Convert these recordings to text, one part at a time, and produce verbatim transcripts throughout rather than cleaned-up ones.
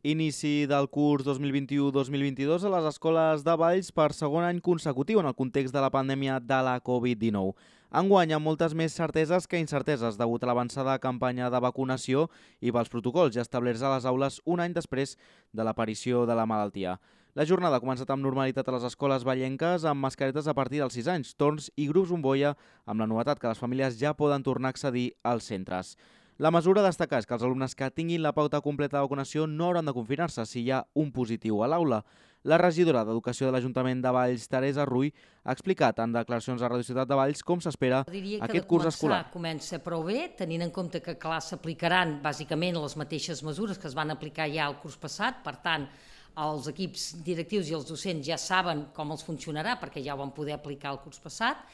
Inici del curs dos mil vint-i-u dos mil vint-i-dos a les escoles de Valls per segon any consecutiu en el context de la pandèmia de la Covid dinou. Enguany, amb moltes més certeses que incerteses degut a l'avançada campanya de vacunació i pels protocols ja establerts a les aules un any després de l'aparició de la malaltia. La jornada ha començat amb normalitat a les escoles vallenques amb mascaretes a partir dels sis anys, torns i grups bombolla, amb la novetat que les famílies ja poden tornar a accedir als centres. La mesura a destacar és que els alumnes que tinguin la pauta completa de vacunació no hauran de confinar-se si hi ha un positiu a l'aula. La regidora d'Educació de l'Ajuntament de Valls, Teresa Rull, ha explicat en declaracions a Radio Ciutat de Valls com s'espera aquest curs escolar. Comença prou bé, tenint en compte que clar s'aplicaran bàsicament les mateixes mesures que es van aplicar ja el curs passat, per tant, els equips directius i els docents ja saben com els funcionarà perquè ja ho van poder aplicar el curs passat.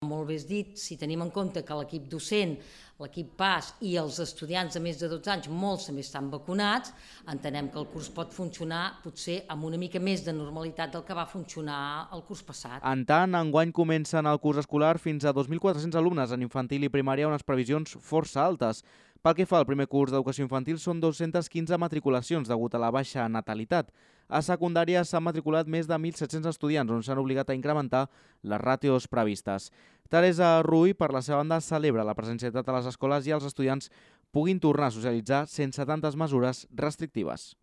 Molt bé dit, si tenim en compte que l'equip docent, l'equip P A S i els estudiants de més de dotze anys, molts també estan vacunats, entenem que el curs pot funcionar potser amb una mica més de normalitat del que va funcionar el curs passat. En tant, enguany comencen el curs escolar fins a dos mil quatre-cents alumnes en infantil i primària, unes previsions força altes. Pel que fa al primer curs d'educació infantil, són dos-centes quinze matriculacions degut a la baixa natalitat. A secundària s'han matriculat més de mil set-cents estudiants, on s'han obligat a incrementar les ràtios previstes. Teresa Rull, per la seva banda, celebra la presencialitat a les escoles i els estudiants puguin tornar a socialitzar sense tantes mesures restrictives.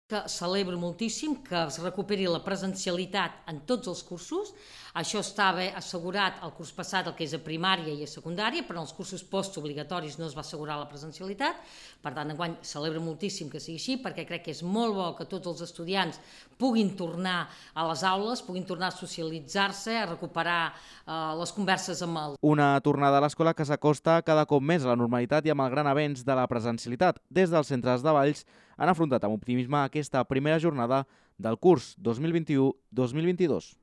Que celebro moltíssim que es recuperi la presencialitat en tots els cursos. Això estava assegurat el curs passat, el que és a primària i a secundària, però en els cursos postobligatoris no es va assegurar la presencialitat. Per tant, enguany celebro moltíssim que sigui així, perquè crec que és molt bo que tots els estudiants puguin tornar a les aules, puguin tornar a socialitzar-se, a recuperar eh, les converses amb el... Una tornada a l'escola que s'acosta cada cop més a la normalitat i amb el gran avenç de la presencialitat. Des dels centres de Valls han afrontat amb optimisme aquesta primera jornada del curs dos mil vint-i-u dos mil vint-i-dos.